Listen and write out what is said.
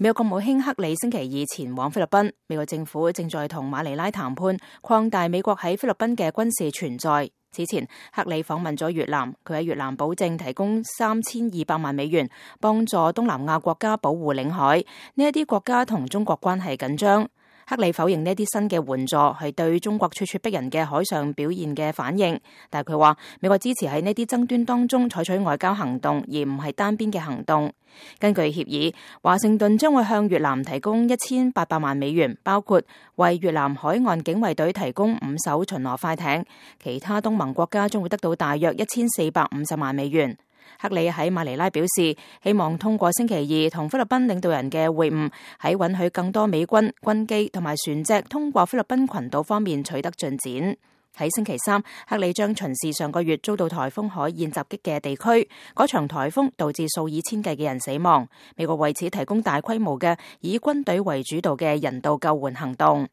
美國國務卿克里星期二前往菲律賓，美國政府正在同馬尼拉談判擴大美國喺菲律賓嘅軍事存在。此前，克里訪問咗越南，佢喺越南保證提供3200萬美元，幫助東南亞國家保護領海。呢一啲國家同中國關係緊張。克里否認呢啲新嘅援助係對中國咄咄逼人嘅海上表現嘅反應，但係佢話美國支持喺呢啲爭端當中採取外交行動，而唔係單邊嘅行動。根據協議，華盛頓將會向越南提供1800萬美元，包括為越南海岸警衛隊提供5艘巡邏快艇，其他東盟國家將會得到大約1450萬美元。克里喺馬尼拉表示，希望通過星期二同菲律賓領導人嘅會晤，喺允許更多美軍、軍機同埋船隻通過菲律賓群島方面取得進展。喺星期三，克里將巡視上個月遭到颱風海燕襲擊嘅地區，嗰場颱風導致數以千計嘅人死亡。美國為此提供大規模嘅以軍隊為主導嘅人道救援行動。